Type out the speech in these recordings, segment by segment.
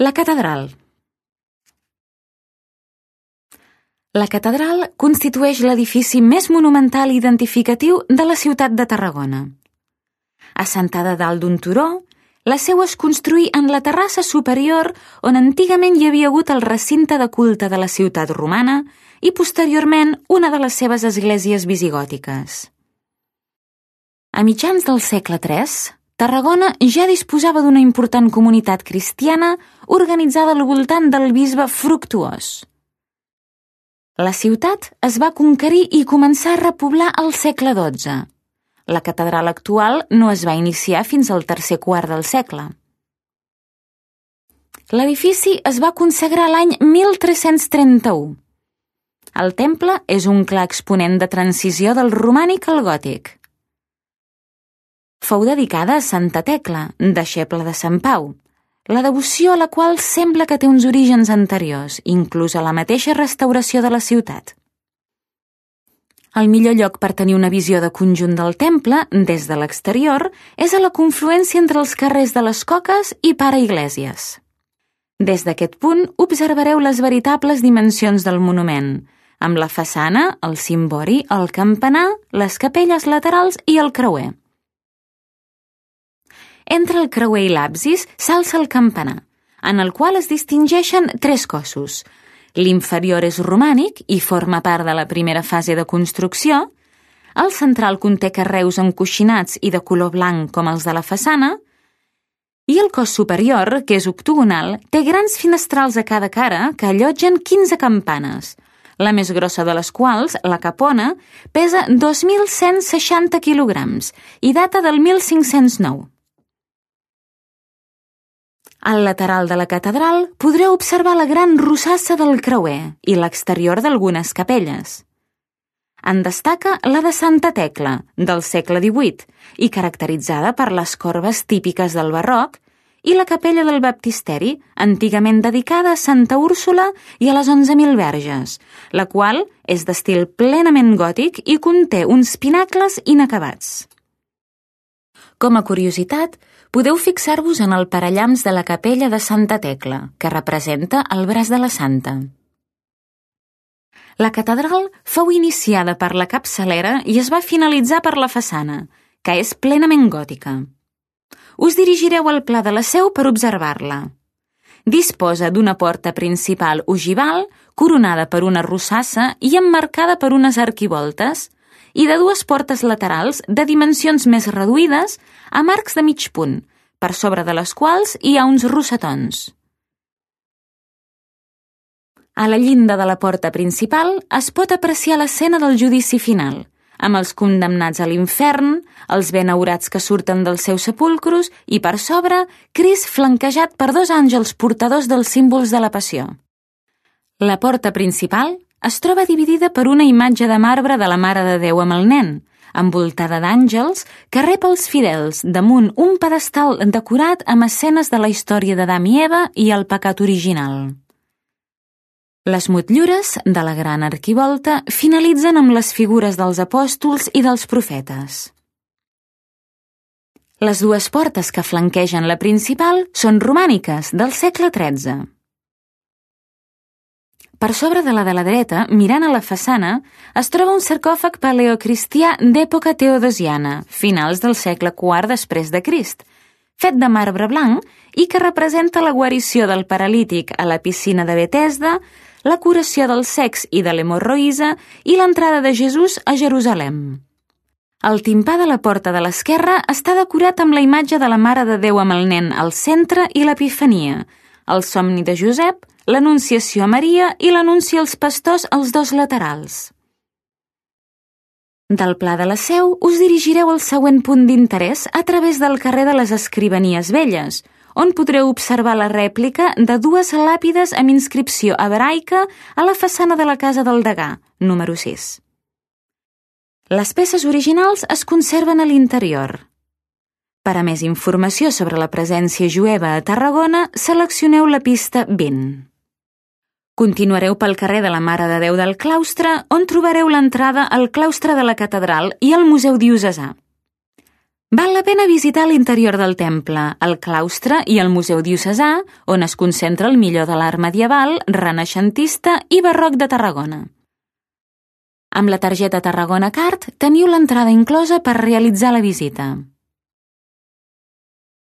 La catedral. La catedral constitueix l'edifici més monumental i identificatiu de la ciutat de Tarragona. Assentada dalt d'un turó, la seu es construí en la terrassa superior on antigament hi havia hagut el recinte de culte de la ciutat romana i posteriorment una de les seves esglésies visigòtiques. A mitjans del segle III, Tarragona ja disposava d'una important comunitat cristiana organitzada al voltant del bisbe Fructuós. La ciutat es va conquerir i començar a repoblar al segle XII. La catedral actual no es va iniciar fins al tercer quart del segle. L'edifici es va consagrar l'any 1331. El temple és un clar exponent de transició del romànic al gòtic. Fou dedicada a Santa Tecla, deixeble de Sant Pau, la devoció a la qual sembla que té uns orígens anteriors, inclús a la mateixa restauració de la ciutat. El millor lloc per tenir una visió de conjunt del temple, des de l'exterior, és a la confluència entre els carrers de les Coques i Pare Iglesias. Des d'aquest punt observareu les veritables dimensions del monument, amb la façana, el cimbori, el campanar, les capelles laterals i el creuer. Entre el creuer i l'absis s'alça el campanar, en el qual es distingeixen tres cossos. L'inferior és romànic i forma part de la primera fase de construcció, el central conté carreus encoixinats i de color blanc com els de la façana, i el cos superior, que és octogonal, té grans finestrals a cada cara que allotgen 15 campanes, la més grossa de les quals, la capona, pesa 2.160 quilograms i data del 1509. Al lateral de la catedral podreu observar la gran rosassa del creuer i l'exterior d'algunes capelles. En destaca la de Santa Tecla, del segle XVIII, i caracteritzada per les corbes típiques del barroc, i la capella del baptisteri, antigament dedicada a Santa Úrsula i a les 11.000 verges, la qual és d'estil plenament gòtic i conté uns pinacles inacabats. Com a curiositat, podeu fixar-vos en el parallamps de la capella de Santa Tecla, que representa el braç de la santa. La catedral fou iniciada per la capçalera i es va finalitzar per la façana, que és plenament gòtica. Us dirigireu al pla de la seu per observar-la. Disposa d'una porta principal ogival, coronada per una rosassa i emmarcada per unes arquivoltes, i de dues portes laterals de dimensions més reduïdes amb arcs de mig punt, per sobre de les quals hi ha uns rosetons. A la llinda de la porta principal es pot apreciar l'escena del judici final, amb els condemnats a l'infern, els benaurats que surten dels seus sepulcros i, per sobre, Crist flanquejat per dos àngels portadors dels símbols de la passió. La porta principal es troba dividida per una imatge de marbre de la Mare de Déu amb el nen, envoltada d'àngels que rep els fidels damunt un pedestal decorat amb escenes de la història d'Adam i Eva i el pecat original. Les motllures de la gran arquivolta finalitzen amb les figures dels apòstols i dels profetes. Les dues portes que flanquegen la principal són romàniques, del segle XIII. Per sobre de la dreta, mirant a la façana, es troba un sarcòfag paleocristià d'època teodosiana, finals del segle IV després de Crist, fet de marbre blanc i que representa la guarició del paralític a la piscina de Betesda, la curació dels cecs i de l'hemorroïsa i l'entrada de Jesús a Jerusalem. El timpà de la porta de l'esquerra està decorat amb la imatge de la Mare de Déu amb el nen al centre i l'Epifania, el somni de Josep, l'Anunciació a Maria i l'anunci als pastors als dos laterals. Del pla de la seu us dirigireu al següent punt d'interès a través del carrer de les Escrivanies Velles, on podreu observar la rèplica de dues làpides amb inscripció hebraica a la façana de la Casa del Degà, número 6. Les peces originals es conserven a l'interior. Per a més informació sobre la presència jueva a Tarragona, seleccioneu la pista 20. Continuareu pel carrer de la Mare de Déu del Claustre, on trobareu l'entrada al claustre de la catedral i al Museu Diocesà. Val la pena visitar l'interior del temple, el claustre i el Museu Diocesà, on es concentra el millor de l'art medieval, renaixentista i barroc de Tarragona. Amb la targeta Tarragona Card teniu l'entrada inclosa per realitzar la visita.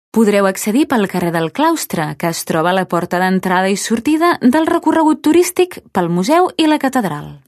Podreu accedir pel carrer del Claustre, que es troba a la porta d'entrada i sortida del recorregut turístic pel museu i la catedral.